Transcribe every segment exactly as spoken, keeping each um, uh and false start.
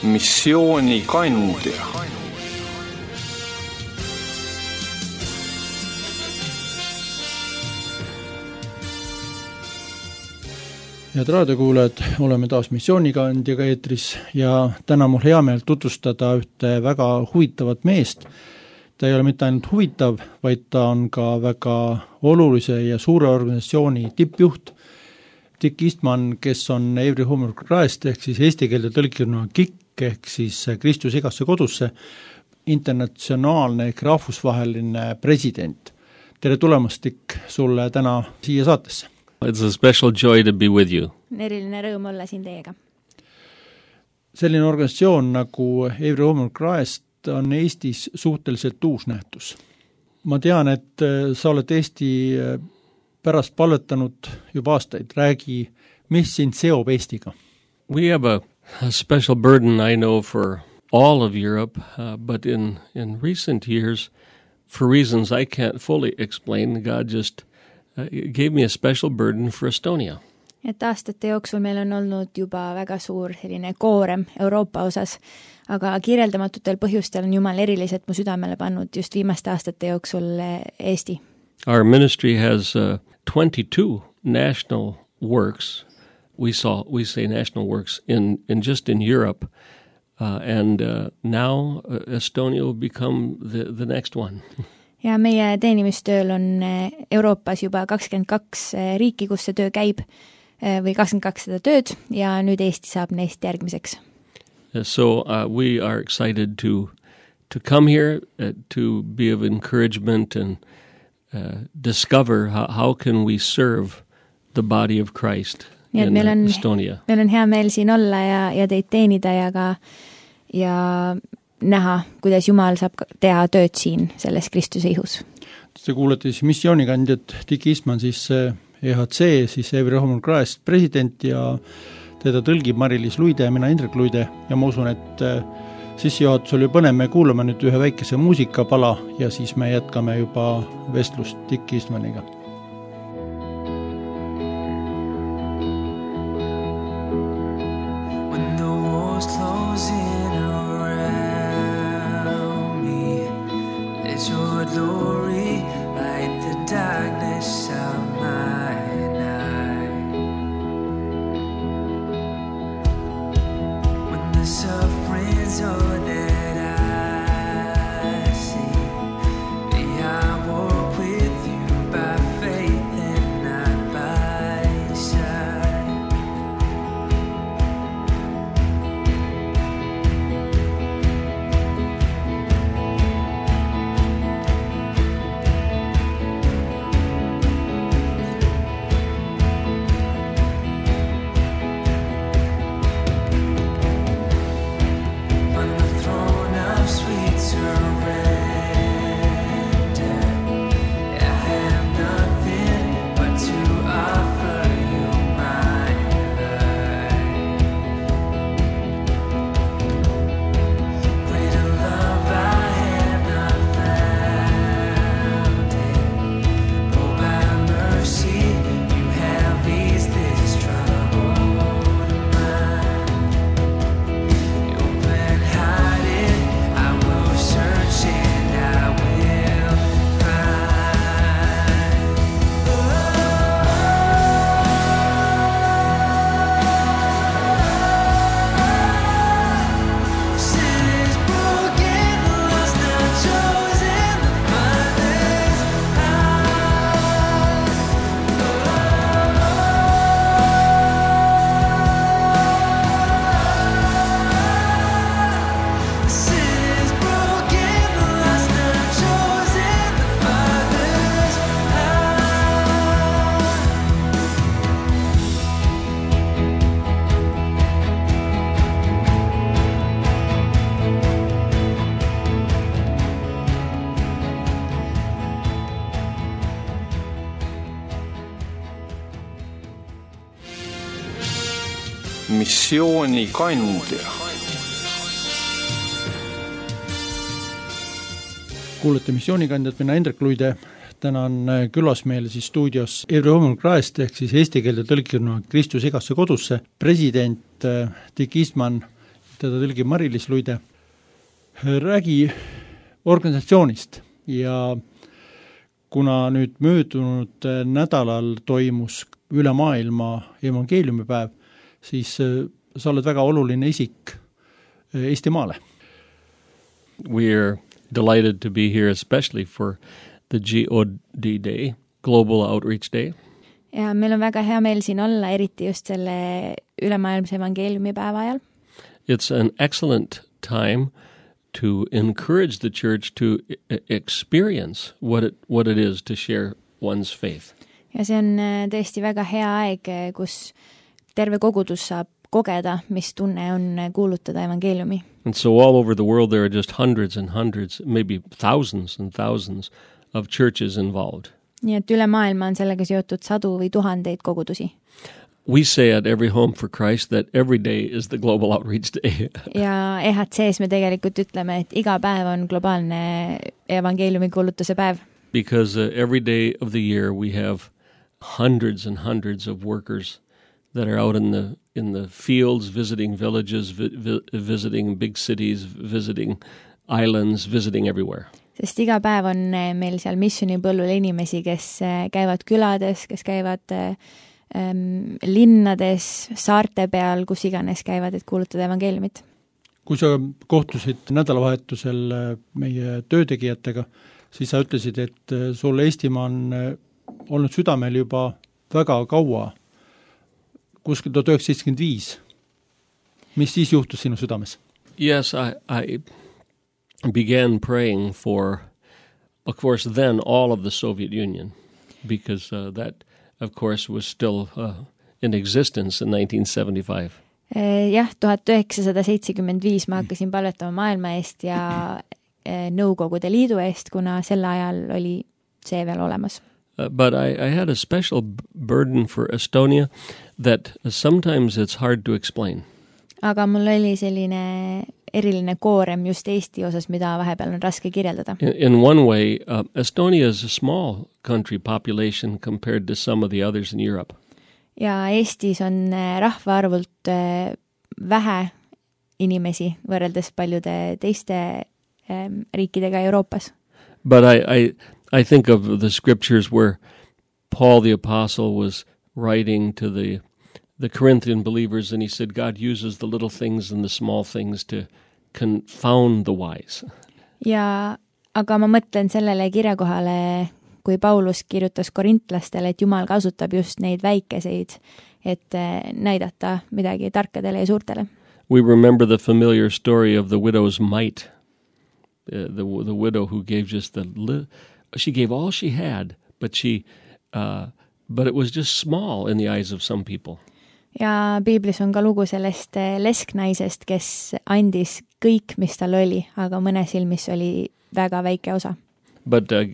missioonikandja. Head raadiokuulajad, oleme taas missioonikandjaga eetris ja täna mul hea meel tutvustada ühte väga huvitavat meest. Ta ei ole mitte ainult huvitav, vaid ta on ka väga olulise ja suure organisatsiooni tippjuht. Dick Eastman, kes on Every Home of Christ ehk siis eesti keelde tõlkiruna K I K ehk siis Kristus igasse kodusse, internatsionaalne ehk rahvusvaheline president. Tere tulemast, Dick, sulle täna siia saatesse. It's a special joy to be with you. Eriline rõõm olla siin teiega. Selline organisatsioon nagu Every Home of Christ on Eestis suhteliselt uus nähtus. Ma tean, et sa oled Eesti pärast palvetanud juba aastaid. Räägi, mis sind seob Eestiga? We have a, a special burden, I know, for all of Europe, uh, but in, in recent years, for reasons I can't fully explain, God just It gave me a special burden for Estonia. Et aastate jooksul meil on olnud juba väga suur selline koorem Euroopa osas, aga kirjeldamatutel põhjustel on Jumal eriliselt mu südamele pannud just viimaste aastate jooksul Eesti. Our ministry has uh, twenty-two national works. We saw we say national works in in just in Europe, uh, and uh, now uh, Estonia will become the the next one. Ja meie teenimistööl on Euroopas juba kakskümmend kaks riiki, kus see töö käib, või kakskümmend kaks seda tööd, ja nüüd Eesti saab neist järgmiseks. So uh, we are excited to, to come here, uh, to be of encouragement and uh, discover how, how can we serve the body of Christ in meil on, Estonia. Meil on hea meel siin olla ja, ja teid teenida ja ka ja näha, kuidas Jumal saab teha tööd siin selles Kristuse ihus. Te kuulete siis missioonikandjat Dick Eastman, siis E H C, siis Every Home of Christ president ja teda tõlgib Mari-Liis Luide ja mina Indrek Luide ja ma usun, et sissejuhatus oli põnev, me kuulame nüüd ühe väikese muusikapala ja siis me jätkame juba vestlust Dick Eastmaniga. missioonikandja. Kuulete missioonikandjat, mina Indrek Luide. Täna on külas meil siis stuudios Every Home of Christ ehk siis eesti keelde tõlkiruna Kristus igasse kodusse president Dick Eastman. teda tõlgib Mari-Liis Luide, räägi organisatsioonist ja kuna nüüd möödunud nädalal toimus üle maailma evangeeliumipäev, siis sa oled väga oluline isik Eestimaale. We're delighted to be here, especially for the G O D Day, Global Outreach Day. Ja meil on väga hea meel siin olla, eriti just selle ülemaailmse evangeeliumipäeva ajal. It's an excellent time to encourage the church to experience what it, what it is to share one's faith. Ja see on tõesti väga hea aeg, kus terve kogudus saab kogeda, mis tunne on kuulutada evangeeliumi. And so all over the world there are just hundreds and hundreds, maybe thousands and thousands of churches involved. Nii et üle maailma on sellega seotud sadu või tuhandeid kogudusi. We say at Every Home for Christ that every day is the Global Outreach Day. Ja E H C-s me tegelikult ütleme, et iga päev on globaalne evangeeliumi kuulutuse päev. Because uh, every day of the year we have hundreds and hundreds of workers that are out in the in the fields, visiting villages, vi- vi- visiting big cities, visiting islands, visiting everywhere. Sest iga päev on meil seal missionipõllul inimesi, kes käivad külades, kes käivad ähm, linnades, saarte peal, kus iganes käivad, et kuulutada evangeeliumit. Kui sa kohtusid nädalavahetusel meie töötegijatega, siis sa ütlesid, et sul Eestimaa on olnud südamel juba väga kaua, kuskil tuhat üheksasada seitsekümmend viis. Mis siis juhtus sinu südames? Yes, I, I began praying for, of course, then all of the Soviet Union, because uh, that, of course, was still uh, in existence in nineteen seventy-five. Jah, tuhat üheksasada seitsekümmend viis ma hakkasin palvetama maailma eest ja Nõukogude Liidu eest, kuna sel ajal oli see veel olemas. Uh, but I, I had a special burden for Estonia that sometimes it's hard to explain. Aga mul oli selline eriline koorem just Eesti osas, mida vahepeal on raske kirjeldada. In, in one way, uh, Estonia is a small country population compared to some of the others in Europe. Ja Eestis on rahvaarvult vähe inimesi võrreldes paljude teiste ähm, riikidega Euroopas. But I, I, I think of the scriptures where Paul the Apostle was writing to the the Corinthian believers, and he said God uses the little things and the small things to confound the wise. Ja aga ma mõtlen sellele kirjakohale, kui Paulus kirjutas korintlastele, et Jumal kasutab just neid väikeseid, et näidata midagi tarkadele ja suurtele. We remember the familiar story of the widow's mite, uh, the the widow who gave just the li- she gave all she had, but she uh, but it was just small in the eyes of some people. Ja Piiblis on ka lugu sellest lesknaisest, kes andis kõik, mis tal oli, aga mõne silmis oli väga väike osa. But uh,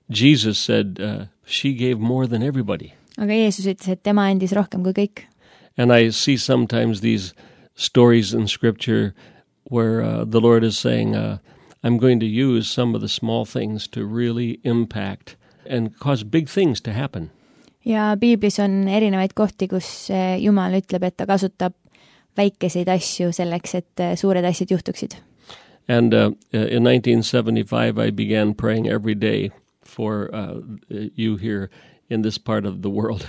Jesus said uh, she gave more than everybody. Aga Jeesus ütles, et tema andis rohkem kui kõik. And I see sometimes these stories in scripture where uh, the Lord is saying, uh, I'm going to use some of the small things to really impact and cause big things to happen. Ja Piiblis on erinevaid kohti, kus Jumal ütleb, et ta kasutab väikeseid asju selleks, et suured asjad juhtuksid. And uh, in nineteen seventy-five I began praying every day for uh, you here in this part of the world.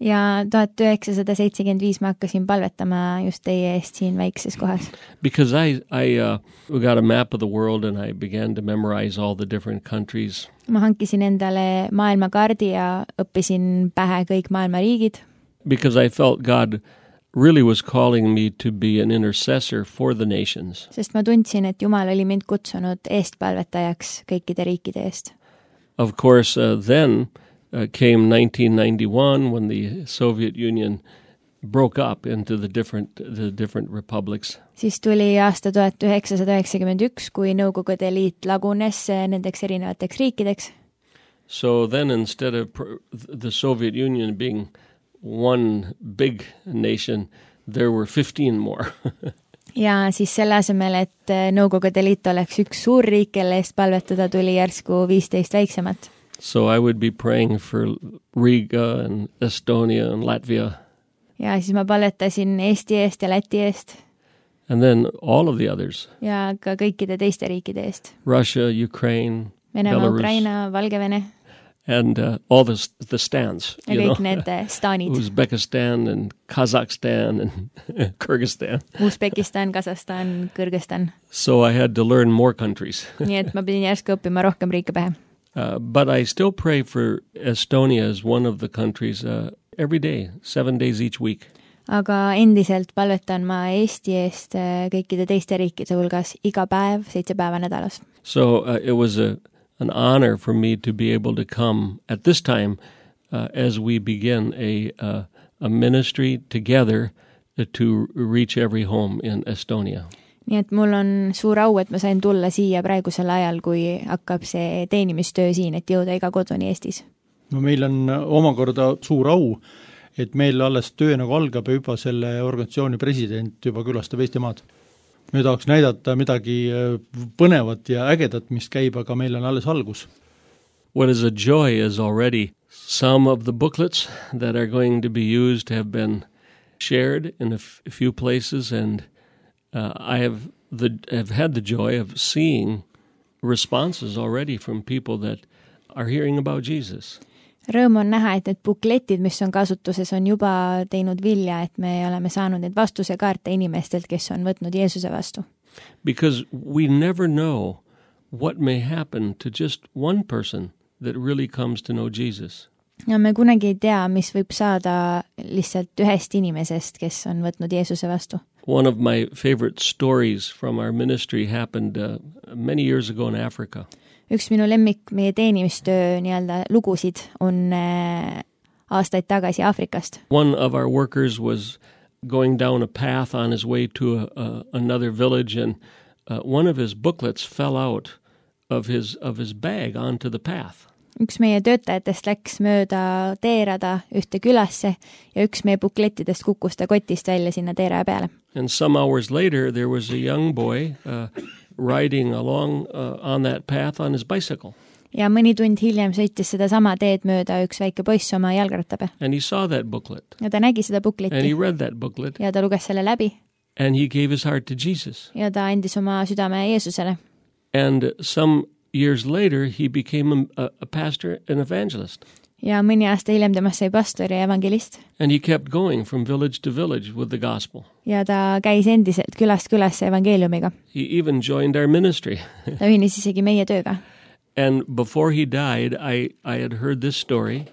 Ja tuhat üheksasada seitsekümmend viis ma hakkasin palvetama just teie eest siin väikses kohas. Because I, I uh, got a map of the world and I began to memorize all the different countries. Ma hankisin endale maailmakaardi ja õppisin pähe kõik maailma riigid. Because I felt God really was calling me to be an intercessor for the nations. Sest ma tundsin, et Jumal oli mind kutsunud eestpalvetajaks kõikide riikide eest. Of course, uh, then uh, came nineteen ninety-one when the Soviet Union broke up into the different the different republics. Siis tuli aasta tuhat üheksasada üheksakümmend üks, kui Nõukogude Liit lagunes nendeks erinevateks riikideks. So then instead of pr- the Soviet Union being one big nation, there were fifteen more. Ja siis selle asemel, et Nõukogude Liit oleks üks suur riik, kelle eest palvetada, tuli järsku viisteist väiksemat. So I would be praying for Riga and Estonia and Latvia. Ja siis ma palvetasin Eesti eest ja Läti eest. And then all of the others. ja ka kõikide teiste riikide eest. Russia, Ukraine, Venemaa, Belarus. Ukraina, Valgevene And uh, all the, the stands. ja You kõik know? need eh, staanid. Uzbekistan and Kazakhstan and Kyrgyzstan. Usbekistan, Kasahstan, Kõrgõzstan. So I had to learn more countries. nii et ma pidin järsku õppima rohkem riike pähe. Uh, but I still pray for Estonia as one of the countries uh, every day, seven days each week. aga endiselt palvetan ma Eesti eest eh, kõikide teiste riikide hulgas iga päev, seitse päeva nädalas. So uh, it was a, an honor for me to be able to come at this time uh, as we begin a, uh, a ministry together to reach every home in Estonia. nii et mul on suur au, et ma sain tulla siia praegusel ajal, kui hakkab see teenimistöö siin, et jõuda iga koduni Eestis. no meil on omakorda suur au, et meil alles töö nagu algab ja juba selle organisatsiooni president juba külastab Eestimaad. Me tahaks näidata midagi põnevat ja ägedat, mis käib, aga meil on alles algus. What is a joy is already some of the booklets that are going to be used have been shared in a f- few places, and uh, I have the have had the joy of seeing responses already from people that are hearing about Jesus. Rõõm on näha, et need bukletid, mis on kasutuses, on juba teinud vilja, et me oleme saanud need vastusekaarte inimestelt, kes on võtnud Jeesuse vastu. Because we never know what may happen to just one person that really comes to know Jesus. ja me kunagi ei tea, mis võib saada lihtsalt ühest inimesest, kes on võtnud Jeesuse vastu. One of my favorite stories from our ministry happened uh, many years ago in Africa. Üks minu lemmik meie teenimistöö nii-öelda lugusid on aastaid tagasi Aafrikast. One of our workers was going down a path on his way to a, a, another village, and uh, one of his booklets fell out of his, of his bag onto the path. Üks meie töötajatest läks mööda teerada ühte külasse ja üks meie buklettidest kukkus ta kotist välja sinna teeraja peale. And some hours later there was a young boy uh, riding along uh, on that path on his bicycle. ja mõni tund hiljem sõitis seda sama teed mööda üks väike poiss oma jalgrattaga. And he saw that booklet. ja ta nägi seda And he bukletti read that booklet. ja ta luges selle läbi. And he gave his heart to Jesus. ja ta andis oma südame Jeesusele. And some years later he became a, a pastor and evangelist. ja mõni aasta hiljem temast sai pastor ja evangelist. And he kept going from village to village with the gospel. ja ta käis endiselt külast külasse evangeeliumiga. He even joined our ministry. ta ühines isegi meie tööga. And before he died, I, I had heard this story.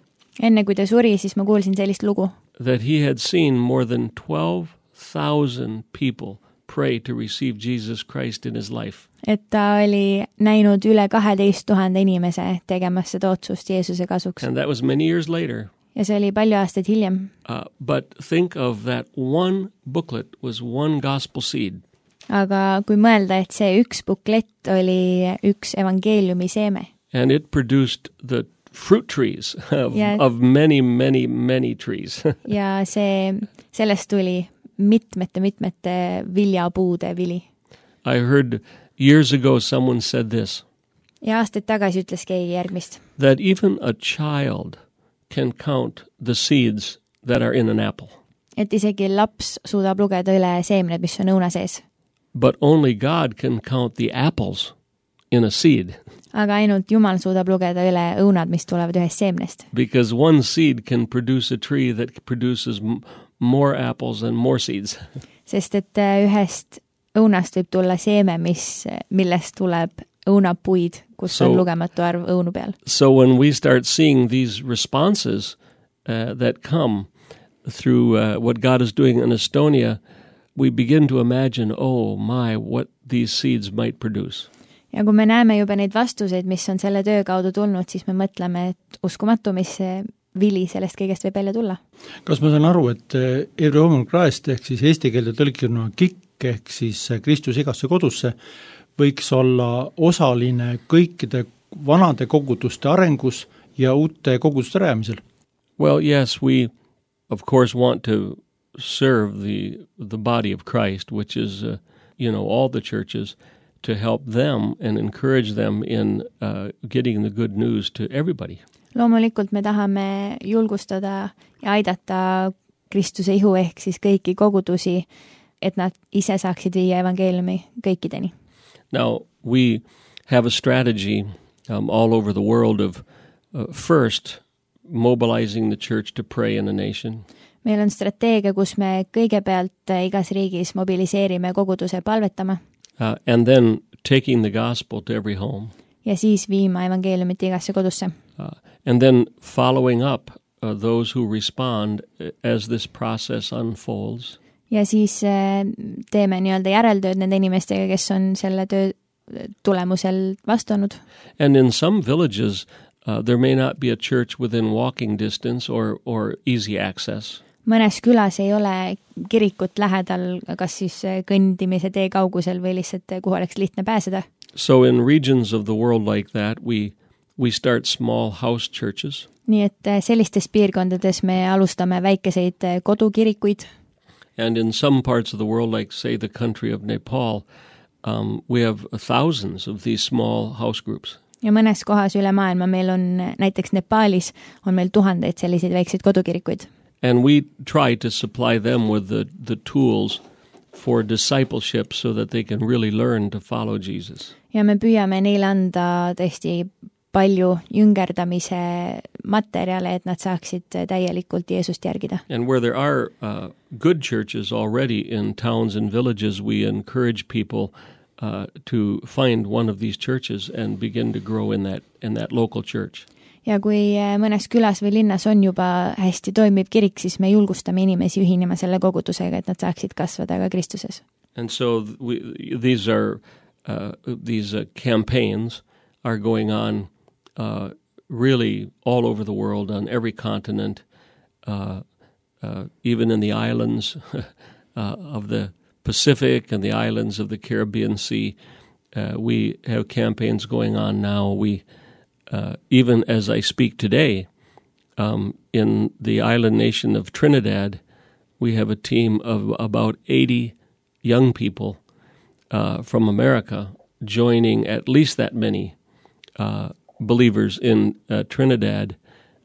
enne kui ta suri, siis ma kuulsin sellist lugu. That he had seen more than twelve thousand people pray to receive Jesus Christ in his life. et ta oli näinud üle kaheteist tuhande inimese tegemas seda otsust Jeesuse kasuks. And that was many years later. ja see oli palju aastaid hiljem. Uh, but think of that one booklet was one gospel seed. aga kui mõelda, et see üks buklett oli üks evangeeliumi seeme. And it produced the fruit trees of, Yeah. of many, many, many trees. ja see, sellest tuli mitmete-mitmete viljapuude vili. I heard years ago someone said this, ja aastaid tagasi ütles keegi järgmist. that even a child can count the seeds that are in an apple, et isegi laps suudab lugeda üle seemned, mis on õuna sees. but only God can count the apples in a seed, aga ainult Jumal suudab lugeda üle õunad, mis tulevad ühest seemnest. because one seed can produce a tree that produces m- more apples and more seeds. sest et ühest õunast võib tulla seeme, mis, millest tuleb õunapuid, kus So- on lugematu arv õunu peal. So when we start seeing these responses uh, that come through uh, what God is doing in Estonia, we begin to imagine, oh my, what these seeds might produce. ja kui me näeme juba neid vastuseid, mis on selle töö kaudu tulnud, siis me mõtleme, et uskumatu, mis see vili sellest kõigest võib välja tulla. kas ma saan aru, et Every Home on Christ ehk siis eesti keelde tõlkina kikk ehk siis Kristus igasse kodusse võiks olla osaline kõikide vanade koguduste arengus ja uute koguduste rajamisel? Well, yes, we of course want to serve the the body of Christ, which is, uh, you know, all the churches, to help them and encourage them in uh, getting the good news to everybody. loomulikult me tahame julgustada ja aidata Kristuse ihu ehk siis kõiki kogudusi et nad ise saaksid viia evangeeliumi kõikideni. Now, we have a strategy um, all over the world of uh, first mobilizing the church to pray in a nation. Meil on strateegia, kus me kõigepealt igas riigis mobiliseerime koguduse palvetama. Uh, and then taking the gospel to every home. Ja siis viima evangeeliumit igasse kodusse. Uh, and then following up uh, those who respond as this process unfolds. Ja siis äh, teeme nii-öelda järeltööd nende inimestega, kes on selle töö tulemusel vastunud. And in some villages uh, there may not be a church within walking distance or, or easy access. Mõnes külas ei ole kirikut lähedal, kas siis kõndimise tee kaugusel või lihtsalt kuhu oleks lihtne pääseda. So in regions of the world like that, we, we start small house churches. Nii et sellistes piirkondades me alustame väikeseid kodukirikuid. And in some parts of the world, like say the country of Nepal, um, we have thousands of these small house groups. Ja mõnes kohas üle maailma meil on, näiteks Nepaalis, on meil tuhandeid selliseid väikseid kodukirikuid. And we try to supply them with the, the tools for discipleship so that they can really learn to follow Jesus. Ja me püüame neile anda tõesti palju jüngerdamise materjale, et nad saaksid täielikult Jeesust järgida. And where there are uh, good churches already in towns and villages, we encourage people uh, to find one of these churches and begin to grow in that, in that local church. Ja kui mõnes külas või linnas on juba hästi toimiv kirik, siis me julgustame inimesi ühinema selle kogudusega, et nad saaksid kasvada ka Kristuses. And so we, these are uh, these uh, campaigns are going on uh, really all over the world, on every continent, uh, uh, even in the islands uh, of the Pacific and the islands of the Caribbean Sea. Uh, we have campaigns going on now. We Uh, even as I speak today, um, in the island nation of Trinidad, we have a team of about eighty young people uh, from America joining at least that many uh, believers in uh, Trinidad,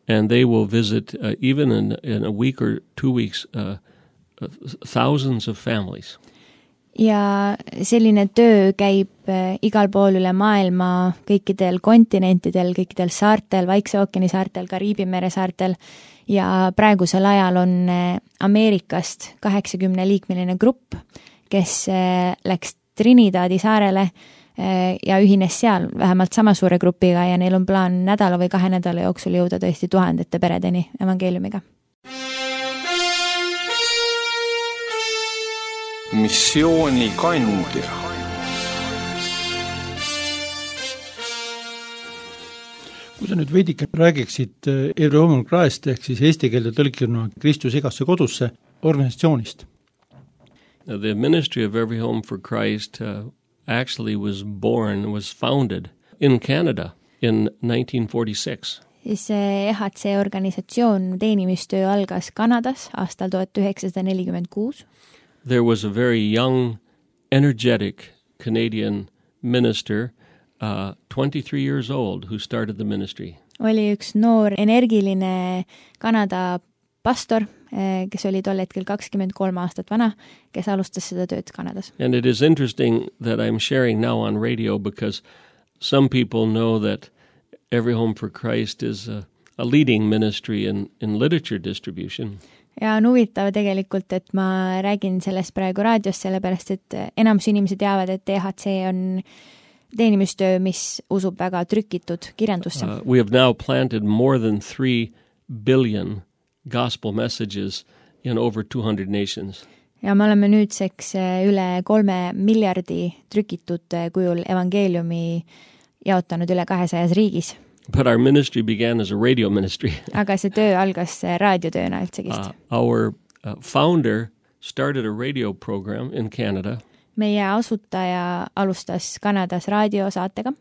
and they will visit uh, even in, in a week or two weeks uh, uh, thousands of families. Ja selline töö käib igal pool üle maailma, kõikidel kontinentidel, kõikidel saartel, Vaikse ookeani saartel, Kariibi mere saartel, ja praegusel ajal on Ameerikast kaheksakümne liikmeline grupp, kes läks Trinidadi saarele ja ühines seal vähemalt sama suure grupiga ja neil on plaan nädala või kahe nädala jooksul jõuda tõesti tuhandete peredeni evangeeliumiga. Missiooni kandja. Kui sa nüüd veidike räägiksid Every Home on Christ ehk siis eesti keelde tõlkiruna Kristus igasse kodusse organisatsioonist. The ministry of Every Home for Christ uh, actually was born, was founded in Canada in nineteen forty-six. Siis E H C organisatsioon teenimistöö algas Kanadas aastal tuhat üheksasada nelikümmend kuus. There was a very young, energetic Canadian minister, uh, twenty-three years old, who started the ministry. Oli üks noor, energiline Kanada pastor, kes oli tol hetkel kakskümmend kolm aastat vana, kes alustas seda tööd Kanadas. And it is interesting that I'm sharing now on radio because some people know that Every Home for Christ is a, a leading ministry in, in literature distribution. Ja on huvitav tegelikult, et ma räägin sellest praegu raadios, sellepärast et enamus inimesed teavad, et E H C on teenimistöö, mis usub väga trükitud kirjandusse. Uh, we have now planted more than three billion gospel messages in over two hundred nations. Ja me oleme nüüdseks üle kolme miljardi trükitud kujul evangeeliumi jaotanud üle kahesajas riigis. But our ministry began as a radio ministry. Aga see töö algas raadiotööna üldsegist. Uh, our uh, founder started a radio program in Canada. Meie asutaja alustas Kanadas raadiosaatega.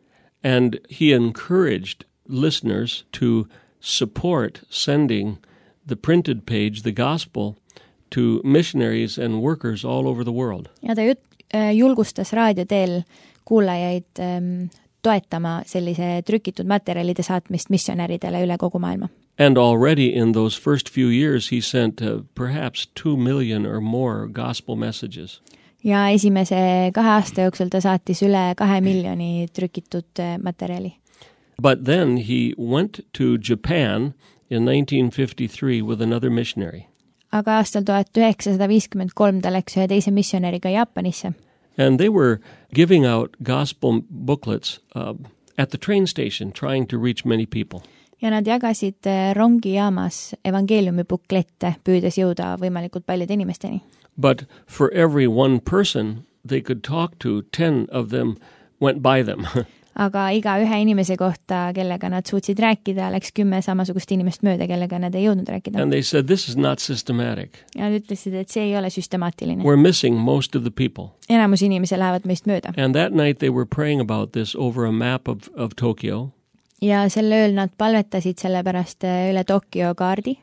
And he encouraged listeners to support sending the printed page, the gospel, to missionaries and workers all over the world. Ja ta jut- julgustas raadioteel kuulajaid ähm, toetama sellise trükitud materjalide saatmist missionäridele üle kogu maailma. And already in those first few years he sent uh, perhaps two million or more gospel messages. Ja esimese kahe aasta jooksul ta saatis üle kahe miljoni trükitud materjali. But then he went to Japan in nineteen fifty-three with another missionary. Aga aastal tuhat üheksasada viiskümmend kolm ta läks ühe teise missionäriga Jaapanisse. And they were giving out gospel booklets uh, at the train station, trying to reach many people. Ja nad jagasid rongijaamas evangeeliumi buklette, püüdes jõuda võimalikult paljude inimesteni. But for every one person they could talk to, ten of them went by them. Aga iga ühe inimese kohta, kellega nad suutsid rääkida, läks kümme samasugust inimest mööda, kellega nad ei jõudnud rääkida. And they said, this is not systematic. Ja nad ütlesid, et see ei ole süstemaatiline. We're missing most of the people. Enamus inimesi lähevad meist mööda. And that night they were praying about this over a map of, of Tokyo. Ja selle ööl nad palvetasid selle pärast üle Tokyo kaardi.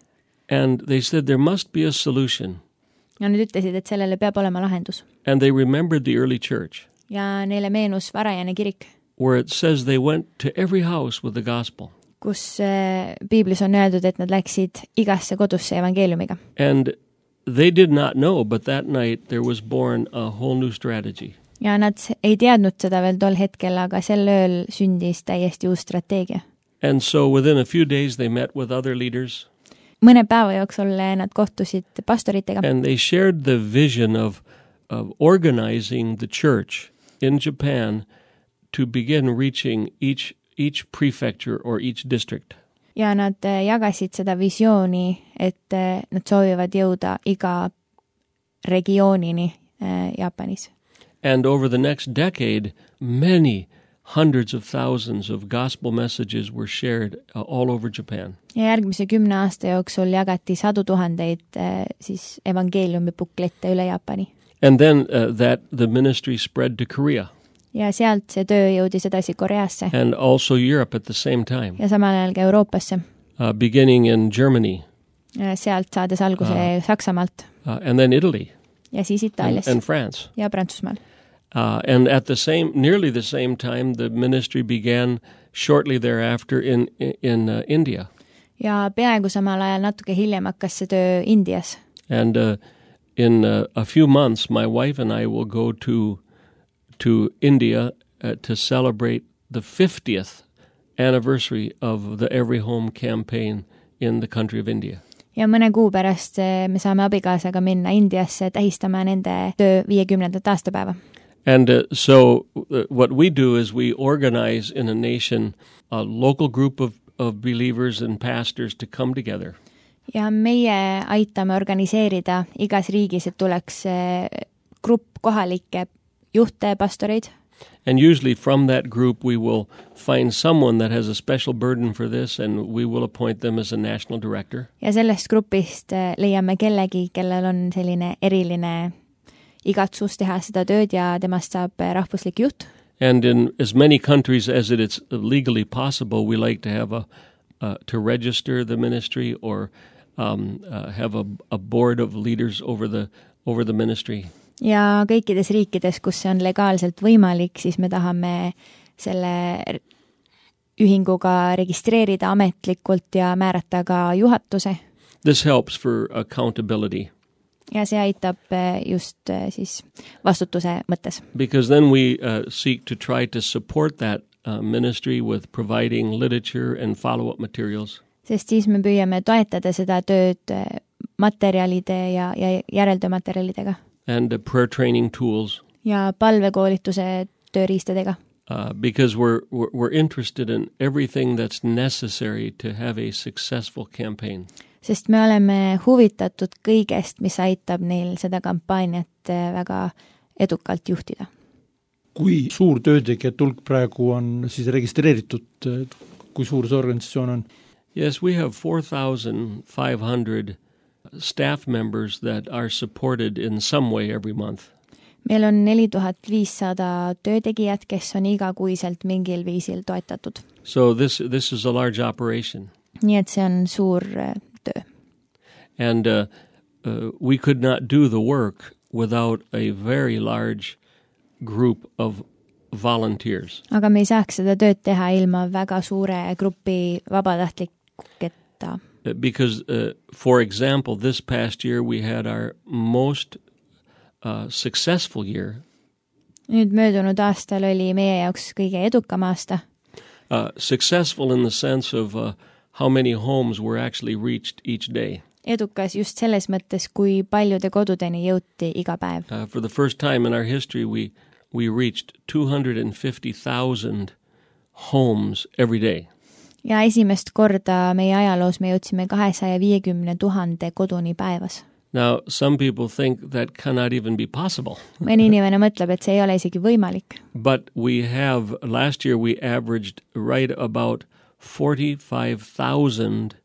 And they said there must be a solution. Ja nad ütlesid, et sellele peab olema lahendus. And they remembered the early church. Ja neile meenus varajane kirik. Where it says they went to every house with the gospel. Kus äh, Piiblis on öeldud, et nad läksid igasse kodusse evangeeliumiga. And they did not know, but that night there was born a whole new strategy. Ja nad ei teadnud seda veel tol hetkel, aga sel ööl sündis täiesti uus strateegia. And so within a few days they met with other leaders. Mõne päeva jooksul nad kohtusid pastoritega. And they shared the vision of, of organizing the church in Japan to begin reaching each, each prefecture or each district. Ja nad jagasid seda visiooni, et nad soovivad jõuda iga regioonini Jaapanis. And over the next decade, many hundreds of thousands of gospel messages were shared uh, all over Japan. Ja järgmise kümne aasta jooksul jagati sadu tuhandeid äh, siis evangeeliumi buklette üle Jaapani. And then uh, that the ministry spread to Korea. Ja sealt see töö jõudis edasi Koreasse. And also Europe at the same time. Ja samal ajal ka Euroopasse. Uh, beginning in Germany. Ja sealt saades alguse uh, Saksamaalt. Uh, and then Italy. Ja siis Itaalias. And, and France. Ja Prantsusmaal. Uh, and at the same, nearly the same time, the ministry began shortly thereafter in, in uh, India. Ja peaaegu samal ajal natuke hiljem hakkas see töö Indias. And uh, in uh, a few months, my wife and I will go to to India uh, to celebrate the fiftieth anniversary of the Every Home campaign in the country of India. Ja mõne kuu pärast me saame abikaasaga minna Indiasse tähistama nende töö viiekümnendat aastapäeva. And uh, so uh, what we do is we organize in a nation a local group of, of believers and pastors to come together. Ja meie aitame organiseerida igas riigis, et tuleks grupp kohalikke juhte, pastoreid. And usually from that group we will find someone that has a special burden for this and we will appoint them as a national director. Ja sellest grupist leiame kellegi, kellel on selline eriline igatsus teha seda tööd ja temast saab rahvuslik juht. And in as many countries as it is legally possible, we like to have a uh, to register the ministry or um, uh, have a, a board of leaders over the over the ministry. Ja kõikides riikides, kus see on legaalselt võimalik, siis me tahame selle ühinguga registreerida ametlikult ja määrata ka juhatuse. This helps for accountability. Ja see aitab just siis vastutuse mõttes. Because then we uh, seek to try to support that uh, ministry with providing literature and follow-up materials. Sest siis me püüame toetada seda tööd materjalide ja, ja järeltöömaterjalidega. And uh, prayer training tools. Ja palvekoolituse tööriistadega. Uh, because we're, we're, we're interested in everything that's necessary to have a successful campaign. Sest me oleme huvitatud kõigest, mis aitab neil seda kampaaniat väga edukalt juhtida. Kui suur töötegijate hulk praegu on siis registreeritud, kui suur see organisatsioon on? Yes, we have four thousand five hundred staff members that are supported in some way every month. Meil on neli tuhat viissada töötegijat, kes on igakuiselt mingil viisil toetatud. So this, this is a large operation. Nii et see on suur töö. And uh, uh, we could not do the work without a very large group of volunteers. aga me ei saaks seda tööd teha ilma väga suure grupi vabatahtliketa. Because, uh, for example, this past year we had our most uh, successful year. Nüüd möödunud aastal oli meie jaoks kõige edukam aasta. Uh, successful in the sense of uh, how many homes were actually reached each day. Edukas just selles mõttes, kui paljude kodudeni jõuti iga päev. Uh, for the first time in our history, we, we reached two hundred fifty thousand homes every day. Ja esimest korda meie ajaloos me jõudsime kahesaja viiekümne tuhande koduni päevas. Now, some people think that cannot even be possible. Mõni inimene mõtleb, et see ei ole isegi võimalik. But we have, last year we averaged right about forty-five thousand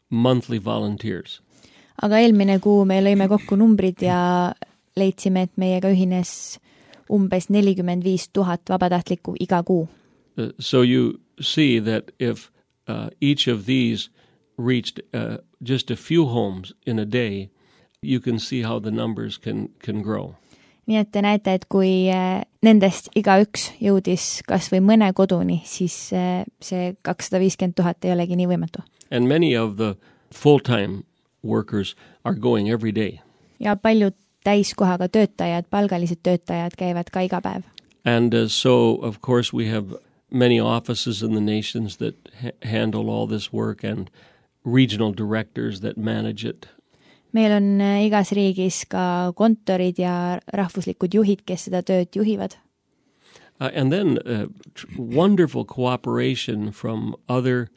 monthly volunteers. Aga eelmine kuu me lõime kokku numbrid ja leidsime, et meiega ühines umbes nelikümmend viis tuhat vabatahtlikku iga kuu. Uh, so you see that if uh, each of these reached uh, just a few homes in a day, you can see how the numbers can, can grow. Nii et te näete, et kui nendest igaüks jõudis kas või mõne koduni, siis see kakssada viiskümmend tuhat ei olegi nii võimatu. And many of the full-time workers are going every day. Ja paljud täiskohaga töötajad, palgalised töötajad käivad ka iga päev. And uh, so, of course, we have many offices in the nations that ha- handle all this work and regional directors that manage it. Meil on igas riigis ka kontorid ja rahvuslikud juhid, kes seda tööd juhivad. Uh, and then uh, tr- wonderful cooperation from other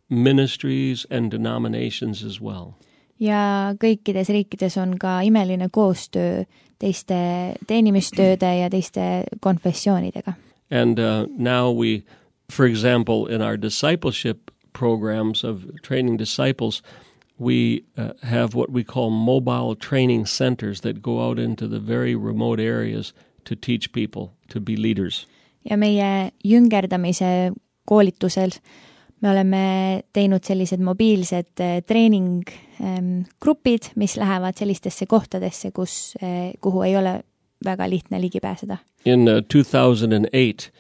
ministries and denominations as well. Ja kõikides riikides on ka imeline koostöö teiste teenimistööde ja teiste konfessioonidega. And uh, now we, for example, in our discipleship programs of training disciples, we uh, have what we call mobile training centers that go out into the very remote areas to teach people to be leaders. Ja meie jüngerdamise koolitusel me oleme teinud sellised mobiilsed treeninggrupid, mis lähevad sellistesse kohtadesse, kus, kuhu ei ole väga lihtne ligi pääseda. In uh, two thousand eight,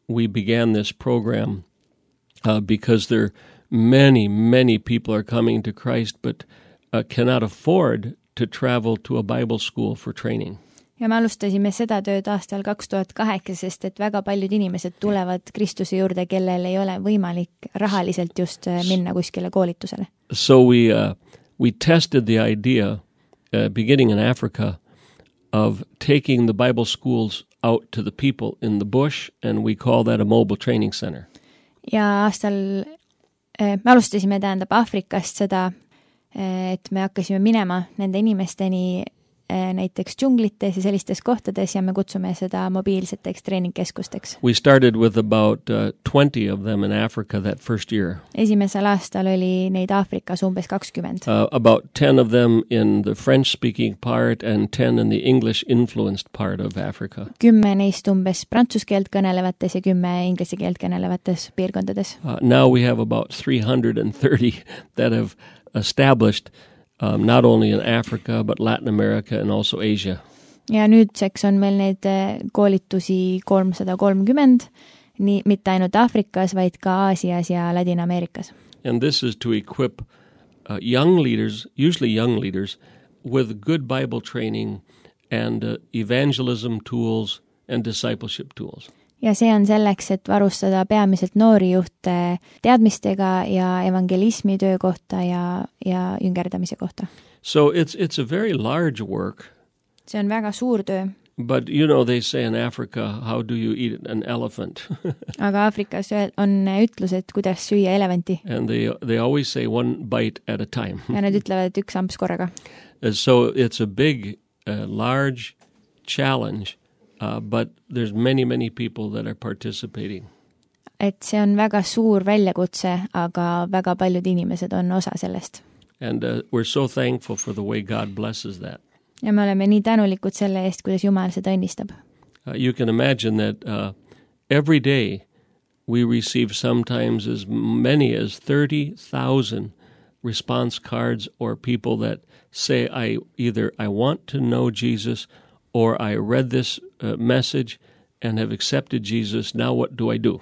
we began this program uh, because there many, many people are coming to Christ but uh, cannot afford to travel to a Bible school for training. Ja me alustasime seda tööd aastal kaks tuhat kaheksa, sest et väga paljud inimesed tulevad Kristuse juurde, kellel ei ole võimalik rahaliselt just minna kuskile koolitusele. So we, uh, we tested the idea, uh, beginning in Africa, of taking the Bible schools out to the people in the bush, and we call that a mobile training center. Ja aastal me alustasime tähendab Aafrikast seda, et me hakkasime minema nende inimesteni näiteks džunglites ja sellistes kohtades ja me kutsume seda mobiilseteks treeningkeskusteks. We started with about uh, twenty of them in Africa that first year. Esimesel aastal oli neid Aafrikas umbes kakskümmend. Uh, about ten of them in the French-speaking part and ten in the English-influenced part of Africa. Kümme neist umbes prantsuse keelt kõnelevates ja kümme inglise keelt kõnelevates piirkondades. Uh, now we have about three hundred thirty that have established Um, not only in Africa, but Latin America and also Asia. Ja nüüdseks on meil neid koolitusi kolmsada kolmkümmend, nii, mitte ainult Aafrikas, vaid ka Aasias ja Ladina-Ameerikas. And this is to equip uh, young leaders, usually young leaders, with good Bible training and uh, evangelism tools and discipleship tools. Ja see on selleks, et varustada peamiselt noori juhte teadmistega ja evangelismi töö kohta ja, ja jüngerdamise kohta. So it's, it's a very large work. See on väga suur töö. But you know, they say in Africa, how do you eat an elephant? Aga Aafrikas on ütlus, et kuidas süüa elevanti. And they, they always say one bite at a time. Ja nad ütlevad, et üks amps korraga. So it's a big, uh, large challenge. Uh, but there's many, many people that are participating. Et see on väga suur väljakutse, aga väga paljud inimesed on osa sellest. And uh, we're so thankful for the way God blesses that. Ja me oleme nii tänulikud selle eest, kuidas Jumal seda õnnistab. Uh, you can imagine that uh, every day we receive sometimes as many as thirty thousand response cards or people that say, I either I want to know Jesus or I read this uh, message and have accepted Jesus. Now what do I do?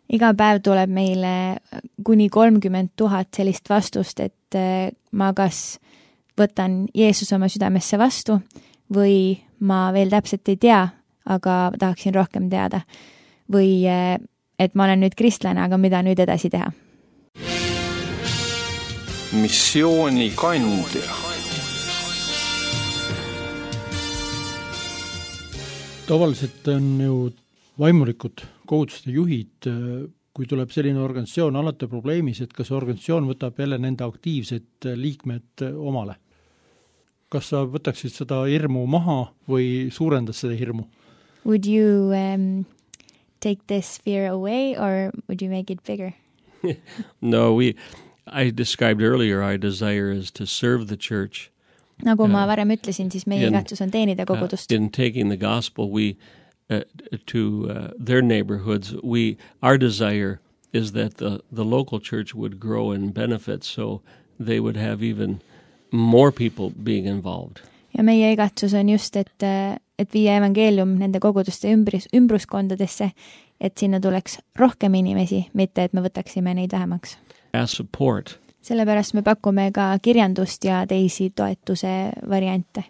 iga päev tuleb meile kuni kolmkümmend tuhat sellist vastust, et ma kas võtan Jeesus oma südamesse vastu või ma veel täpselt ei tea, aga tahaksin rohkem teada. Või et ma olen nüüd kristlane, aga mida nüüd edasi teha? Missioonikandja. Tavaliselt on ju vaimulikud koguduste juhid, kui tuleb selline organisatsioon alati probleemis, et kas organisatsioon võtab jälle nende aktiivsed liikmed omale. Kas sa võtaksid seda hirmu maha või suurendas seda hirmu? Would you um, take this fear away or would you make it bigger? No, we, I described earlier our desire is to serve the church. Nagu ma varem ütlesin, siis meie igatsus on teenida kogudust. Uh, in taking the gospel we uh, to uh, their neighborhoods, we our desire is that the the local church would grow and benefit, so they would have even more people being involved. Ja meie igatsus on just, et, et viia evangeelium nende koguduste ümbrus, ümbruskondadesse, et sinna tuleks rohkem inimesi, mitte et me võtaksime neid vähemaks. As support. Sellepärast me pakume ka kirjandust ja teisi toetuse variante.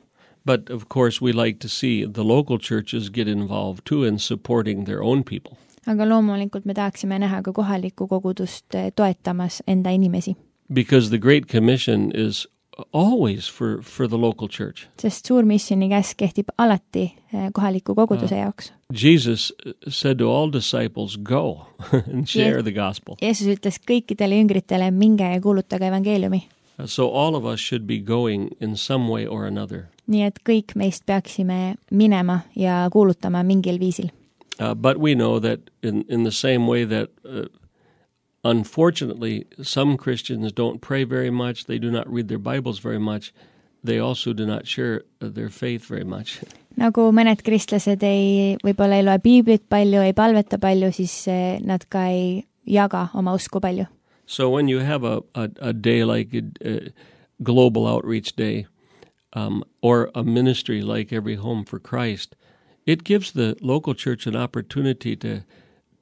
But of course we like to see the local churches get involved too in supporting their own people. Aga loomulikult me tahaksime näha ka kohalikku kogudust toetamas enda inimesi. Because the Great Commission is always for, for the local church. Sest suur missioni käsk kehtib alati kohaliku koguduse jaoks. Jesus said to all disciples, go and share the gospel. Jeesus ütles kõikidele jüngritele, minge ja kuulutage evangeeliumi. So all of us should be going in some way or another. Nii et kõik meist peaksime minema ja kuulutama mingil viisil. Uh, but we know that in, in the same way that uh, unfortunately, some Christians don't pray very much, they do not read their Bibles very much, they also do not share their faith very much. Nagu mõned kristlased ei, võib-olla ei loe piiblit palju, ei palveta palju, siis nad ka ei jaga oma usku palju. So when you have a, a, a day like a, a global outreach day um, or a ministry like Every Home for Christ, it gives the local church an opportunity to,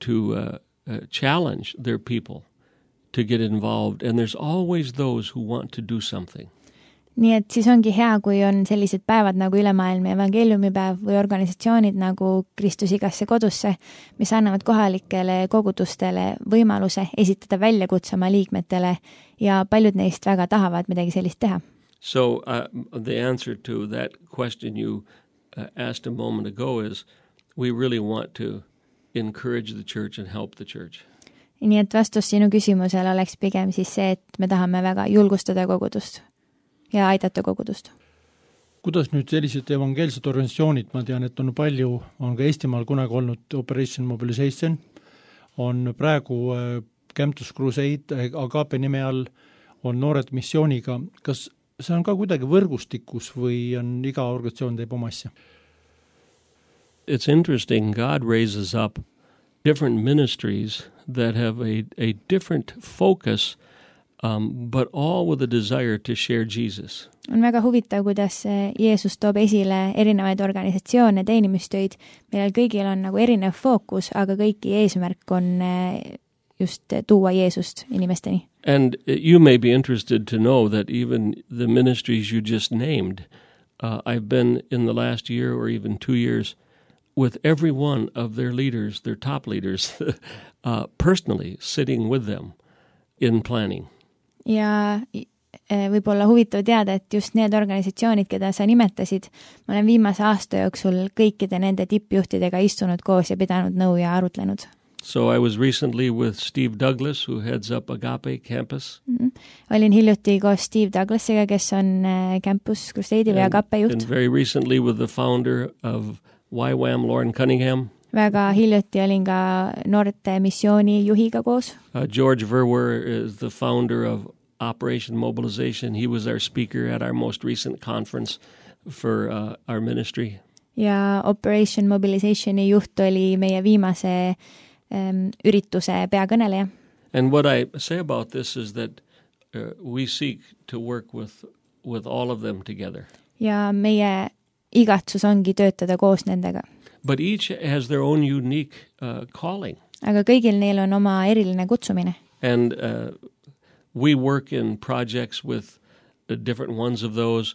to uh, Uh, challenge their people to get involved, and there's always those who want to do something. Nii et siis ongi hea, kui on sellised päevad nagu ülemaailmne evangeeliumipäev või organisatsioonid nagu Kristus igasse kodusse, mis annavad kohalikele kogudustele võimaluse esitada väljakutse oma liikmetele ja paljud neist väga tahavad midagi sellist teha. So uh, the answer to that question you uh, asked a moment ago is we really want to encourage the church and help the church. Nii et vastus sinu küsimusele oleks pigem siis see, et me tahame väga julgustada kogudust ja aidata kogudust. Kuidas nüüd sellised evangeelsed organisatsioonid, ma tean, et on palju, on ka Eestimaal kunagi olnud Operation Mobilization, on praegu Campus Crusade, Agape nime all on noored missiooniga. Kas see on ka kuidagi võrgustikus või on iga organisatsioon teeb oma asja? It's interesting, God raises up different ministries that have a, a different focus, um, but all with a desire to share Jesus. On väga huvitav, kuidas Jeesus toob esile erinevaid organisatsioone, teenimistöid, millel kõigil on nagu erinev fookus, aga kõiki eesmärk on just tuua Jeesust inimesteni. And you may be interested to know that even the ministries you just named, uh, I've been in the last year or even two years with every one of their leaders, their top leaders, uh, personally sitting with them in planning. Ja võib olla huvitav teada, et just need organisatsioonid, keda sa nimetasid, ma olen viimase aasta jooksul kõikide nende tippjuhtidega istunud koos ja pidanud nõu ja arutlenud. So I was recently with Steve Douglas, who heads up Agape Campus. Mm-hmm. Olin hiljuti koos Steve Douglasiga, kes on Campus Crusade'i või Agape juht. And very recently with the founder of Y WAM, Lauren Cunningham. Väga hiljuti olin ka noorte missiooni juhiga koos. Uh, George Verwer is the founder of Operation Mobilization. He was our speaker at our most recent conference for uh, our ministry. Ja Operation Mobilizationi juht oli meie viimase um, ürituse peakõneleja. And what I say about this is that uh, we seek to work with, with all of them together. Ja meie igatsus ongi töötada koos nendega. but each has their own unique uh, calling. aga kõigil neil on oma eriline kutsumine. And uh, we work in projects with uh, different ones of those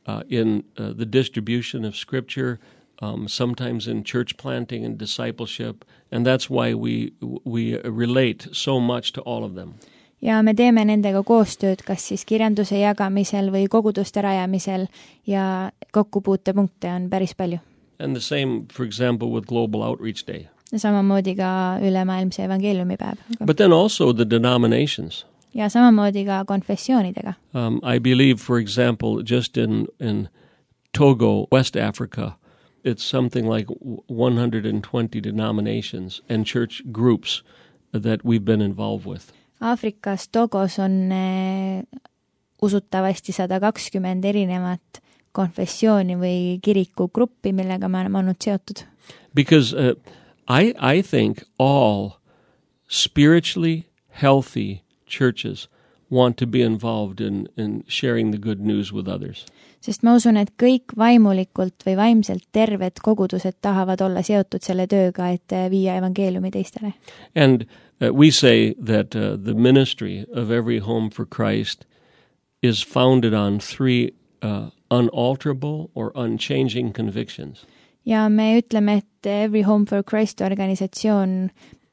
uh, in uh, the distribution of Scripture, um, sometimes in church planting and discipleship, and that's why we we relate so much to all of them. ja me teeme nendega koostööd, kas siis kirjanduse jagamisel või koguduste rajamisel ja kokkupuutepunkte on päris palju. And the same, for example, with Global Outreach Day. Ja samamoodi ka ülemaailmse evangeeliumipäev. But then also the denominations. Ja samamoodi ka konfessioonidega. Um, I believe, for example, just in, in Togo, West Africa, it's something like one hundred twenty denominations and church groups that we've been involved with. Aafrikas Togos on eh, usutavasti sada kakskümmend erinevat konfessiooni või kirikugruppi, millega me oleme olnud seotud. Because uh, I, I think all spiritually healthy churches want to be involved in, in sharing the good news with others. Sest ma usun, et kõik vaimulikult või vaimselt terved kogudused tahavad olla seotud selle tööga, et viia evangeeliumi teistele. And uh, we say that uh, the ministry of Every Home for Christ is founded on three uh, unalterable or unchanging convictions. Ja me ütleme, et Every Home for Christ organisatsioon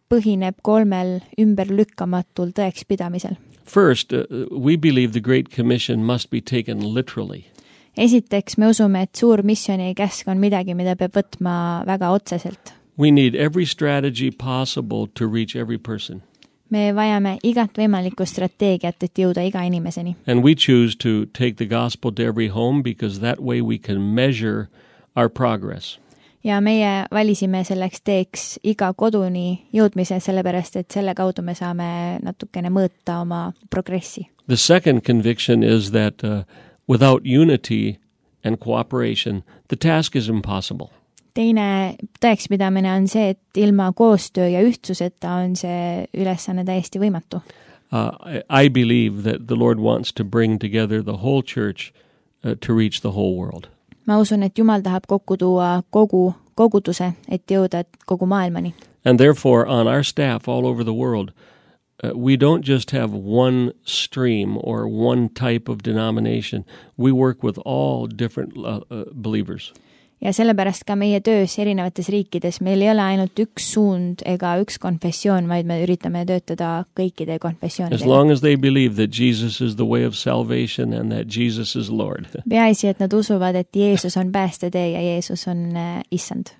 põhineb kolmel ümberlükkamatul tõekspidamisel. First, uh, we believe the Great Commission must be taken literally. Esiteks me usume, et suur missiooni käsk on midagi, mida peab võtma väga otseselt. We need every strategy possible to reach every person. Me vajame igat võimalikku strateegiat, et jõuda iga inimeseni. And we choose to take the gospel to every home because that way we can measure our progress. Ja meie valisime selleks teeks iga koduni jõudmise, sellepärast et selle kaudu me saame natukene mõõta oma progressi. The second conviction is that uh, without unity and cooperation, the task is impossible. Teine tõekspidamine on see, et ilma koostöö ja ühtsuseta on see ülesanne täiesti võimatu. Uh, I, I believe that the Lord wants to bring together the whole church uh, to reach the whole world. Ma usun, et Jumal tahab kokku tuua kogu koguduse, et jõuda kogu maailmani. And therefore, on our staff all over the world, uh, we don't just have one stream or one type of denomination. We work with all different uh, uh, believers. Ja sellepärast ka meie töös erinevates riikides meil ei ole ainult üks suund ega üks konfessioon, vaid me üritame töötada kõikide konfessioonidega. As long as they believe that Jesus is the way of salvation and that Jesus is Lord. Peaasi, et nad usuvad, et Jeesus on päästetee ja Jeesus on äh, issand.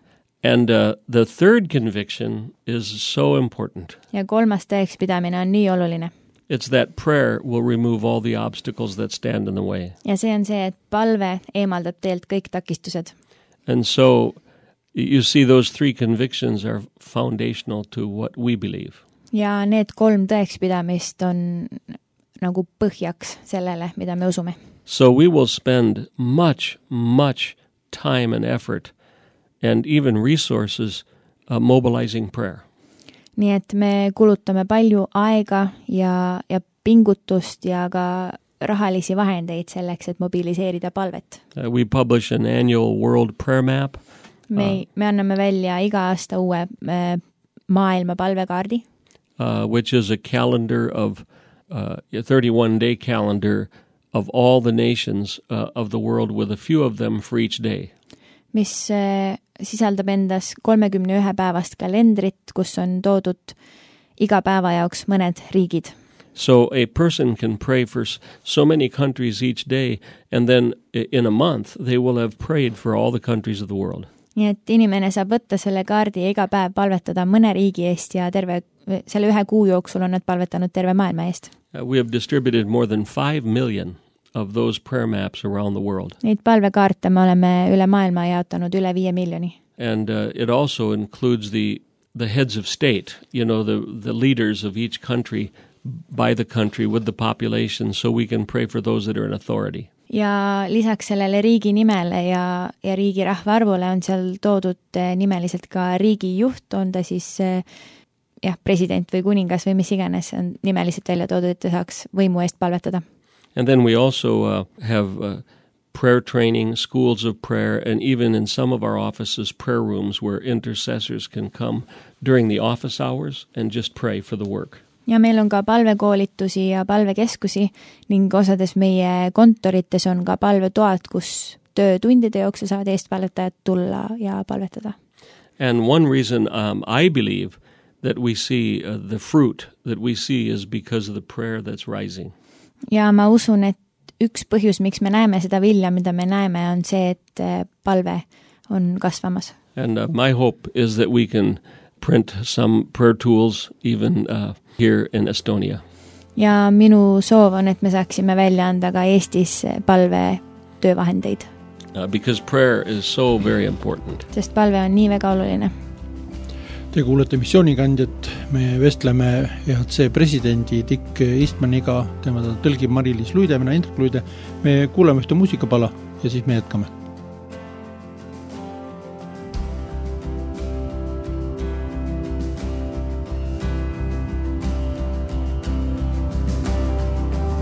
And uh, the third conviction is so important. Ja kolmas tõekspidamine on nii oluline. It's that prayer will remove all the obstacles that stand in the way. Ja see on see, et palve eemaldab teelt kõik takistused. And so you see those three convictions are foundational to what we believe. Ja need kolm tõekspidamist on nagu põhjaks sellele, mida me usume. So we will spend much, much time and effort and even resources uh, mobilizing prayer. Nii et me kulutame palju aega ja, ja pingutust ja ka rahalisi vahendeid selleks, et mobiliseerida palvet. Uh, we publish an annual world prayer map. Me, uh, me anname välja iga aasta uue äh, maailma palvekaardi. Uh, which is a calendar of, uh, a thirty-one day calendar of all the nations uh, of the world with a few of them for each day. Mis äh, sisaldab endas kolmekümne ühe päevast kalendrit, kus on toodud iga päeva jaoks mõned riigid. So a person can pray for so many countries each day, and then in a month they will have prayed for all the countries of the world. Nii et inimene saab võtta selle kaardi ja iga päev palvetada mõne riigi eest ja terve, selle ühe kuu jooksul on nad palvetanud terve maailma eest. Uh, we have distributed more than five million of those prayer maps around the world. Neid palvekaarte me oleme üle maailma jaotanud üle viie miljoni. And uh, it also includes the, the heads of state, you know, the, the leaders of each country by the country with the population, so we can pray for those that are in authority. Ja lisaks sellele riigi nimele ja, ja riigi rahvaarvule on seal toodud nimeliselt ka riigi juht, on ta siis jah, president või kuningas või mis iganes, on nimeliselt välja toodud, et ta saaks võimu eest palvetada. And then we also uh, have uh, prayer training, schools of prayer, and even in some of our offices, prayer rooms where intercessors can come during the office hours and just pray for the work. Ja meil on ka palvekoolitusi ja palvekeskusi ning osades meie kontorites on ka palvetoad, kus töötundide jooksul saavad eestpalvetajad tulla ja palvetada. And one reason um, I believe that we see uh, the fruit that we see is because of the prayer that's rising. Ja ma usun, et üks põhjus, miks me näeme seda vilja, mida me näeme, on see, et palve on kasvamas. And uh, my hope is that we can print some prayer tools even uh, here in Estonia. Ja minu soov on, et me saaksime välja anda ka Eestis palve töövahendeid. Uh, because prayer is so very important. Sest palve on nii väga oluline. Te kuulete missioonikandjat, me vestleme E H C presidendi Dick Eastmaniga, tema tõlgib Mari-Liis Luide, mina Indrek Luide. Me kuulame ühte muusikapala ja siis me jätkame.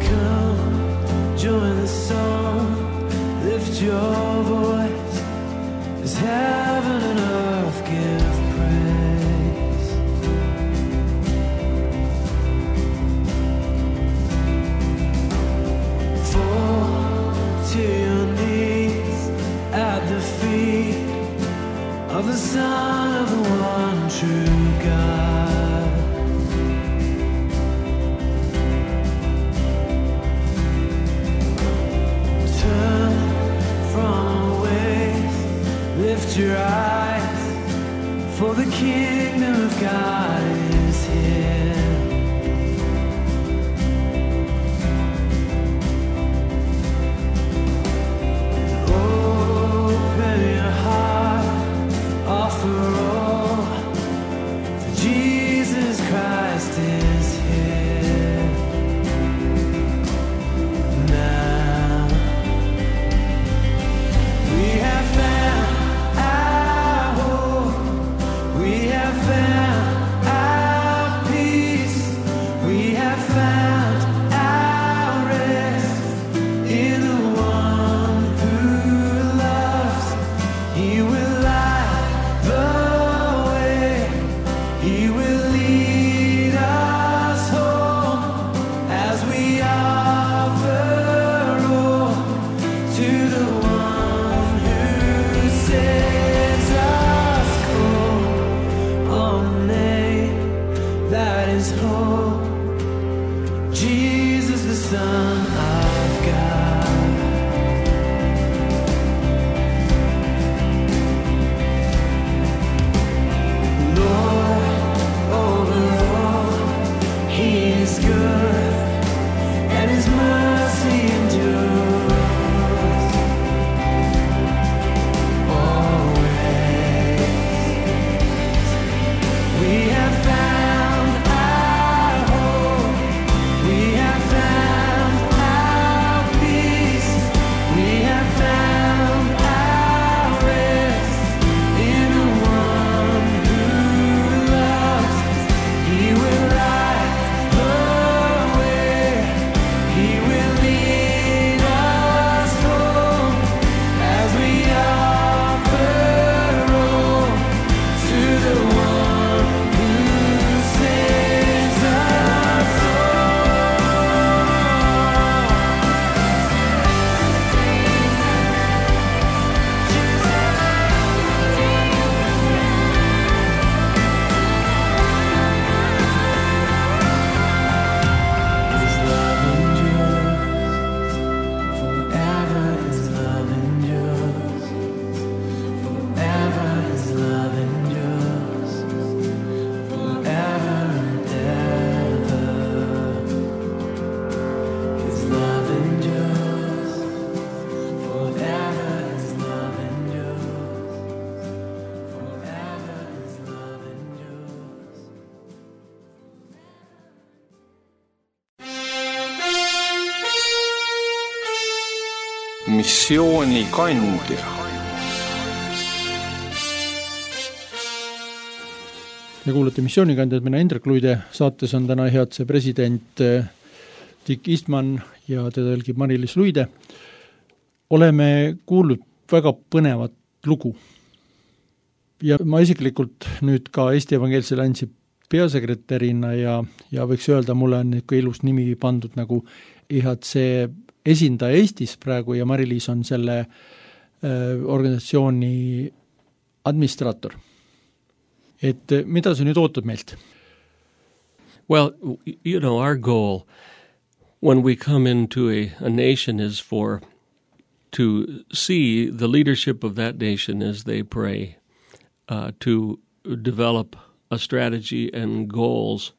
Come, join the song, lift your voice, as heaven and earth give praise. Fall to your knees at the feet of the Son of the one true God. Turn from ways, lift your eyes, for the kingdom of God is here. Open your heart, offer all, for Jesus Christ is here. Now we have found our hope, we have found our peace, we have found our rest in the one who loves. He will light the way, He will lead us home as we offer all to the one who sets us cold. On the name that is hope, Jesus the Son of God. Lord, over all, He is good, and His mercy endures always. We have found our hope, we have found our peace, we have found our rest in the one who loves us. He will light the way, He will lead us home as we offer all to the one who saves us His love endures forever. His love endures forever. His love endures forever and ever. His love endures forever. His love endures forever. His love endures. missioonikandja. Ja kuulete missioonikandjad, mina Indrek Luide, saates on täna E H C president Dick Eastman ja teda tõlgib Mari-Liis Luide. oleme kuulnud väga põnevat lugu. Ja ma isiklikult nüüd ka Eesti Evangeelse Alliansi peasekretärina ja, ja võiks öelda, mulle on ikka ilus nimi pandud nagu I H C esindaja Eestis praegu ja Mari-Liis on selle äh, organisatsiooni administraator. Et mida sa nüüd ootad meilt? Well, you know, our goal when we come into a, a nation is for to see the leadership of that nation as they pray, uh, to develop a strategy and goals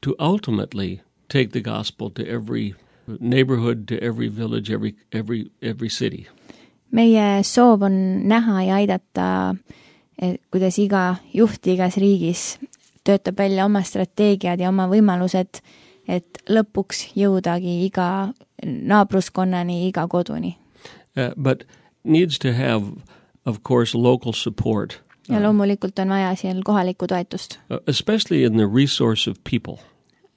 to ultimately take the gospel to every neighborhood, to every village, every, every, every city. Meie soov on näha ja aidata, kuidas iga juht igas riigis töötab välja oma strateegiad ja oma võimalused, et lõpuks jõudagi iga naabruskonnani, iga koduni. Uh, but needs to have, of course, local support. Ja loomulikult on vaja seal kohalikku toetust. Uh, especially in the resource of people.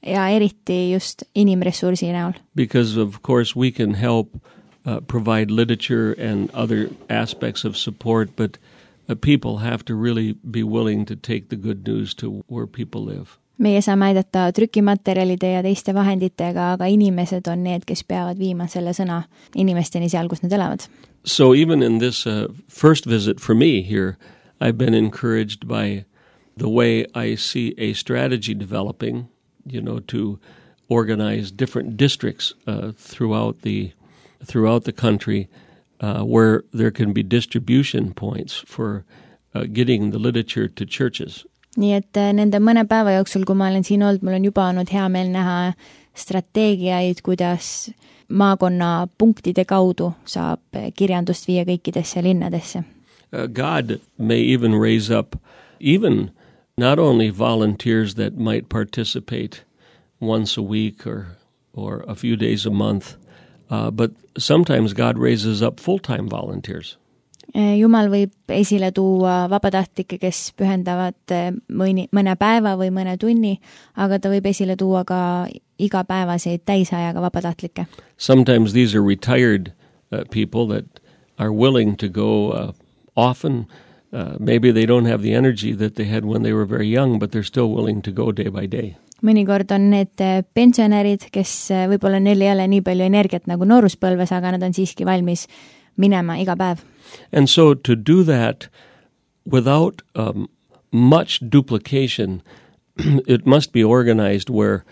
Ja eriti just inimressursi näol. Because, of course, we can help uh, provide literature and other aspects of support, but uh, people have to really be willing to take the good news to where people live. Meie saame aidata trükimaterjalide ja teiste vahenditega, aga inimesed on need, kes peavad viima selle sõna inimesteni seal, kus nad elavad. So even in this uh, first visit for me here, I've been encouraged by the way I see a strategy developing, you know, to organize different districts uh, throughout the throughout the country uh, where there can be distribution points for uh, getting the literature to churches. Nii et nende mõne päeva jooksul, kui ma olen siin olnud, mul on juba olnud hea meel näha strateegiaid, kuidas maakonna punktide kaudu saab kirjandust viia kõikidesse linnadesse. Uh, God may even raise up even not only volunteers that might participate once a week or, or a few days a month, uh, but sometimes God raises up full-time volunteers. Jumal võib esile tuua vabatahtlikke, kes pühendavad mõni, mõne päeva või mõne tunni, aga ta võib esile tuua ka igapäevaseid täisajaga vabatahtlikke. Sometimes these are retired uh, people that are willing to go uh, often. Uh, maybe they don't have the energy that they had when they were very young, but they're still willing to go day by day. Mõnikord on need pensionärid, kes võib-olla neil ei ole nii palju energiat nagu nooruspõlves, aga nad on siiski valmis minema iga päev. And so to do that without um, much duplication, it must be organized where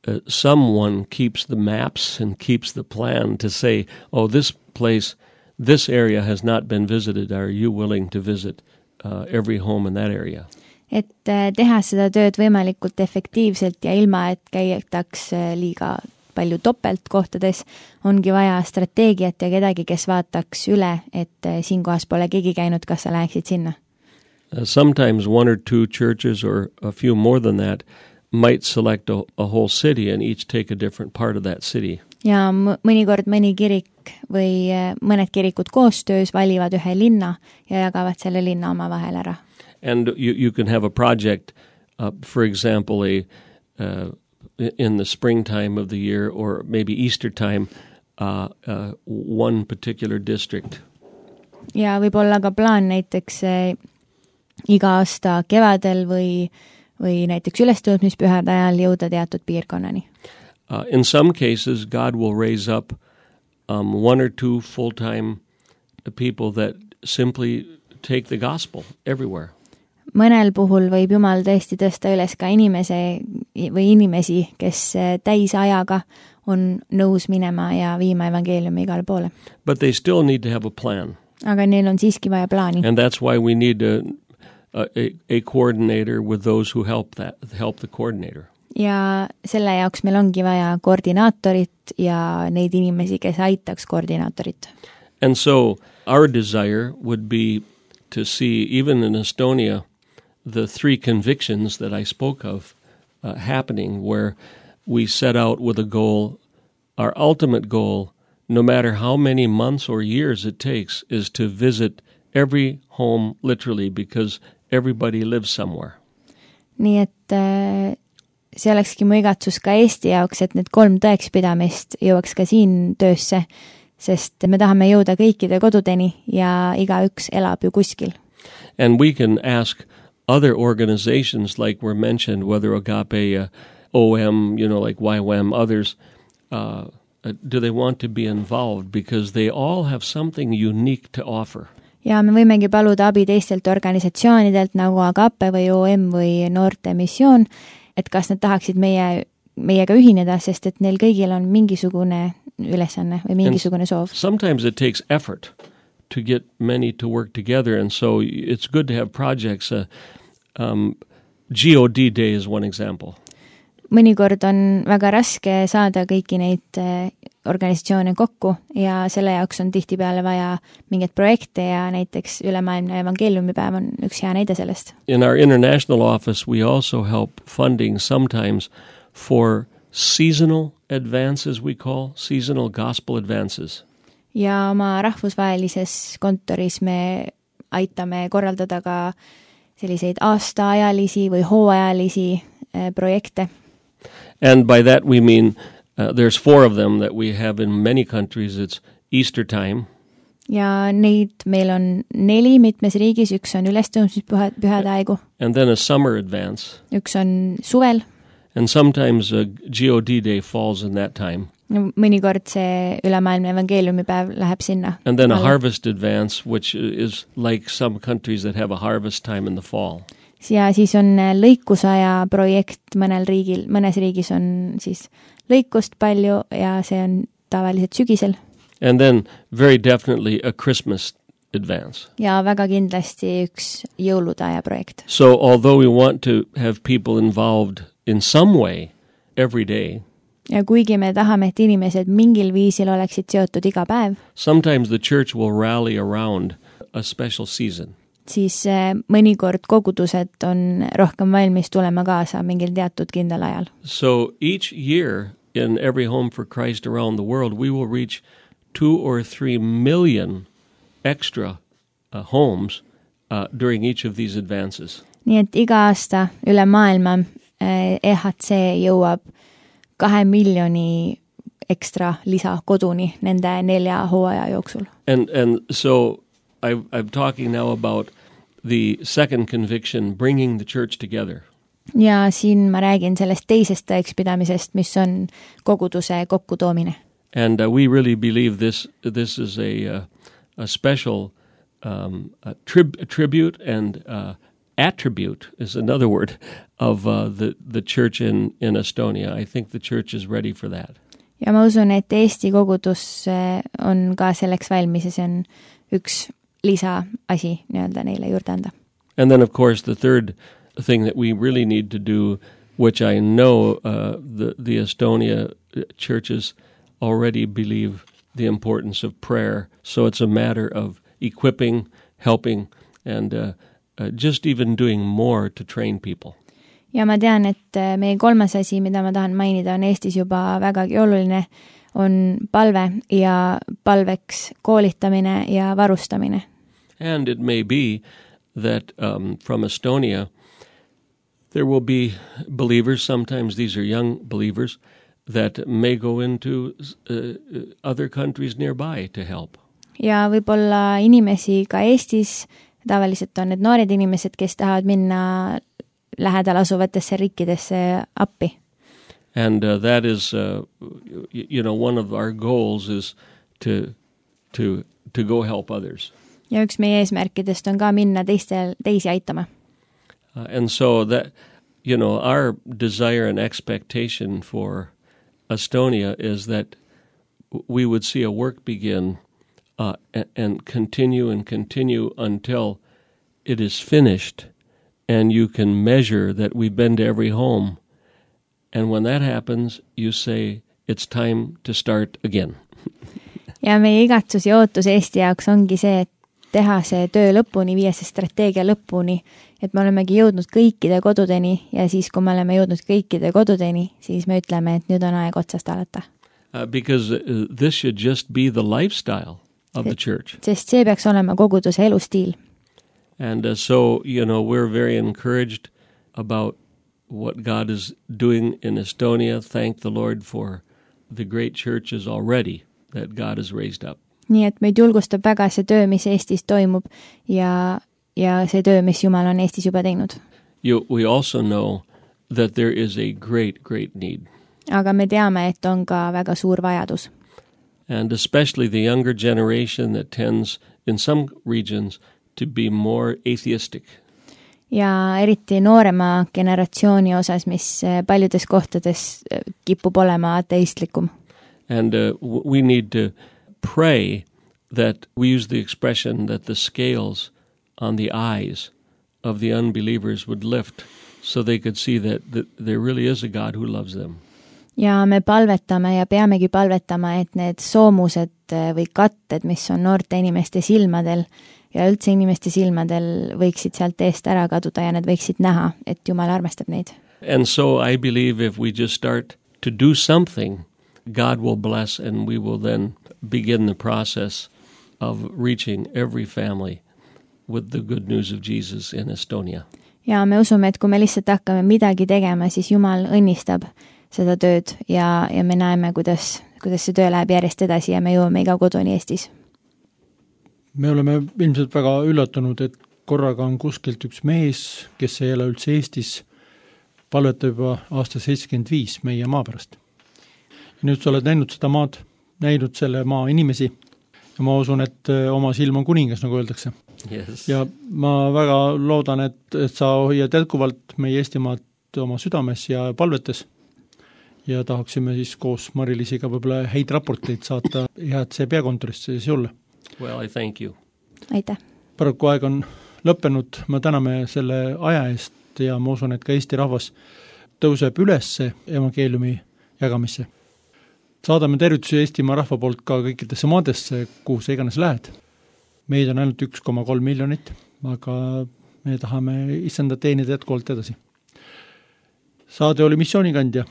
uh, someone keeps the maps and keeps the plan to say, oh, this place, this area has not been visited. Are you willing to visit uh, every home in that area? Et teha seda tööd võimalikult efektiivselt ja ilma, et käitaks liiga palju topelt kohtades, ongi vaja strateegiat ja kedagi, kes vaataks üle, et siin kohas pole keegi käinud, kas sa läheksid sinna. Uh, sometimes one or two churches or a few more than that might select a, a whole city and each take a different part of that city. Ja mõnikord mõni kirik või mõned kirikud koostöös valivad ühe linna ja jagavad selle linna oma vahel ära. And you, you can have a project, uh, for example, a uh, in the springtime of the year or maybe Easter time, uh, uh, one particular district. Ja võib olla ka plaan näiteks eh, iga aasta kevadel või, või näiteks ülestõusmispühade ajal jõuda teatud piirkonnani. Uh, in some cases, God will raise up um, one or two full-time people that simply take the gospel everywhere. Mõnel puhul võib Jumal tõesti tõsta üles ka inimese või inimesi, kes täisajaga on nõus minema ja viima evangeeliumi igale poole. But they still need to have a plan. Aga neil on siiski vaja plaani. And that's why we need a, a, a coordinator with those who help that, help the coordinator. Ja selle jaoks meil ongi vaja koordinaatorit ja neid inimesi, kes aitaks koordinaatorit. And so our desire would be to see, even in Estonia, the three convictions that I spoke of uh, happening, where we set out with a goal, our ultimate goal, no matter how many months or years it takes, is to visit every home literally, because everybody lives somewhere. Nii et äh, see olekski mu igatsus ka Eesti jaoks, et need kolm tõekspidamist jõuaks ka siin töösse, sest me tahame jõuda kõikide kodudeni ja igaüks elab ju kuskil. And we can ask other organizations like were mentioned, whether Agape, uh, O M, you know, like Y WAM, others, uh, uh, do they want to be involved? Because they all have something unique to offer. Ja me võimegi paluda abi teistelt organisatsioonidelt nagu Agape või O M või Noorte Missioon, et kas nad tahaksid meie, meiega ühineda, sest et neil kõigil on mingisugune ülesanne või mingisugune soov. Sometimes it takes effort to get many to work together, and so it's good to have projects. Uh, um, G O D Day is one example. Mõnikord on väga raske saada kõiki neid organisatsioone kokku ja selle jaoks on tihtipeale vaja mingeid projekte ja näiteks ülemaailmne evangeeliumipäev on üks hea näide sellest. In our international office we also help funding sometimes for seasonal advances, we call seasonal gospel advances. Ja oma rahvusvahelises kontoris me aitame korraldada ka selliseid aastaajalisi või hooajalisi eh, projekte. And by that we mean uh, there's four of them that we have in many countries. It's Easter time. Ja neid meil on neli mitmes riigis, üks on ülestõusmispühade aegu. And then a summer advance. Üks on suvel. And sometimes a G O D Day falls in that time. Mõnikord see ülemaailmne evangeeliumipäev läheb sinna. And then a harvest advance, which is like some countries that have a harvest time in the fall. Ja siis on lõikusaja projekt mõnel riigil, mõnes riigis on siis lõikust palju ja see on tavaliselt sügisel. And then very definitely a Christmas advance. Ja väga kindlasti üks jõuludaja projekt. So although we want to have people involved in some way every day, ja kuigi me tahame, et inimesed mingil viisil oleksid seotud iga päev, sometimes the church will rally around a special season. Siis mõnikord kogudused on rohkem valmis tulema kaasa mingil teatud kindel ajal. So each year in every home for Christ around the world, we will reach two or three million extra uh, homes uh, during each of these advances. Nii et iga aasta üle maailma E H C jõuab kahe miljoni ekstra lisa koduni nende nelja hooaja jooksul. And, and so I, I'm talking now about the second conviction, bringing the church together. Ja siin ma räägin sellest teisest tõekspidamisest, mis on koguduse kokkutoomine. And uh, we really believe this this is a uh, a special um, a trib- a tribute and uh, attribute is another word of uh, the the church in in Estonia. I think the church is ready for that. Ja ma usun, et Eesti kogudus on ka selleks valmis ja see on üks lisaasi nii-öelda neile juurde anda. And then of course the third thing that we really need to do, which I know uh, the the Estonia churches already believe the importance of prayer. So it's a matter of equipping, helping, and uh, uh, just even doing more to train people. Ja ma tean, et meie kolmas asi, mida ma tahan mainida, on Eestis juba vägagi oluline, on palve ja palveks koolitamine ja varustamine. And it may be that um, from Estonia there will be believers, sometimes these are young believers, that may go into uh, other countries nearby to help. Ja võib-olla inimesi ka Eestis, tavaliselt on need noored inimesed, kes tahavad minna lähedal asuvatesse riikidesse appi. And uh, that is, uh, you know, one of our goals is to, to, to go help others. Ja üks meie eesmärkidest on ka minna teistel, teisi aitama. Uh, and so that, you know, our desire and expectation for Estonia is that we would see a work begin uh, and, and continue and continue until it is finished, and you can measure that we've been to every home. And when that happens, you say, it's time to start again. Ja meie igatsus ja ootus Eesti jaoks ongi see, et teha see töö lõpuni, viia see strateegia lõpuni, et me olemegi jõudnud kõikide kodudeni ja siis, kui me oleme jõudnud kõikide kodudeni, siis me ütleme, et nüüd on aeg otsast alata. Uh, because uh, this should just be the lifestyle of the church. Sest see peaks olema koguduse elustiil. And uh, so, you know, we're very encouraged about what God is doing in Estonia. Thank the Lord for the great churches already that God has raised up. nii et meid julgustab väga see töö, mis Eestis toimub ja, ja see töö, mis Jumal on Eestis juba teinud. You, we also know that there is a great, great need. Aga me teame, et on ka väga suur vajadus. And especially the younger generation that tends in some regions to be more atheistic. Ja eriti noorema generatsiooni osas, mis paljudes kohtades kipub olema ateistlikum. And uh, we need to pray that we use the expression that the scales on the eyes of the unbelievers would lift so they could see that, that there really is a God who loves them. Ja me palvetame ja peamegi palvetama, et need soomused või katted, mis on noorte inimeste silmadel ja üldse inimeste silmadel, võiksid sealt eest ära kaduda ja need võiksid näha, et Jumal armastab neid. And so I believe if we just start to do something, God will bless and we will then begin the process of reaching every family with the good news of Jesus in Estonia. Ja me usume, et kui me lihtsalt hakkame midagi tegema, siis Jumal õnnistab seda tööd ja, ja me näeme, kuidas, kuidas see töö läheb järjest edasi ja me jõuame iga koduni Eestis. Me oleme ilmselt väga üllatunud, et korraga on kuskilt üks mees, kes ei ela üldse Eestis, palvetab juba aasta seitsekümmend viis meie maa pärast. Ja nüüd sa oled näinud seda maad, näinud selle maa inimesi ja ma usun, et oma silm on kuningas, nagu öeldakse. Yes. Ja ma väga loodan, et, et sa hoiad jätkuvalt meie Eestimaad oma südames ja palvetes ja tahaksime siis koos Mari-Liisiga võib-olla häid raporteid saata head see peakontorisse siis julle. Well, I thank you. Aitäh. Paraku aeg on lõppenud, ma täname selle aja eest ja ma usun, et ka Eesti rahvas tõuseb üles evangeeliumi jagamisse. Saadame tervitusi Eestimaa rahva poolt ka kõikidesse maadesse, kuhu sa iganes lähed. Meid on ainult üks koma kolm miljonit, aga me tahame issanda teenida jätkuvalt edasi. Saade oli missioonikandja.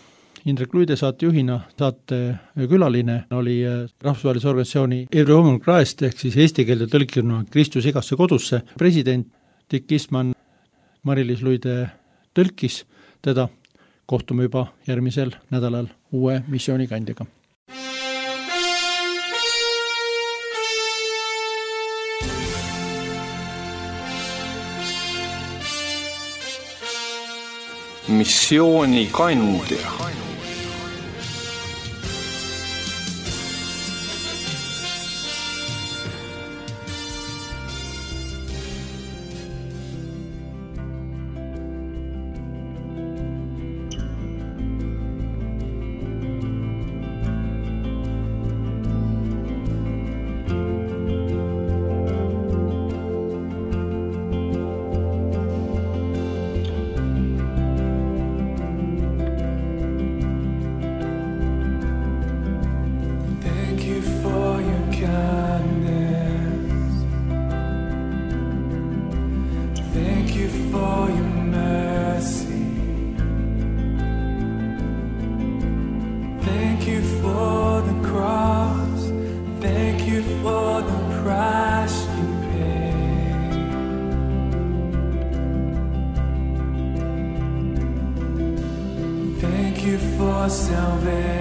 Indrek Luide saatejuhina, saate külaline oli rahvusvahelise organisatsiooni Every Woman Christ ehk siis eesti keelde tõlkiruna Kristus igasse kodusse. President Dick Eastman, Mari-Liis Luide tõlkis teda. Kohtume juba järgmisel nädalal uue missioonikandjaga. Missioonikandja. For salvation.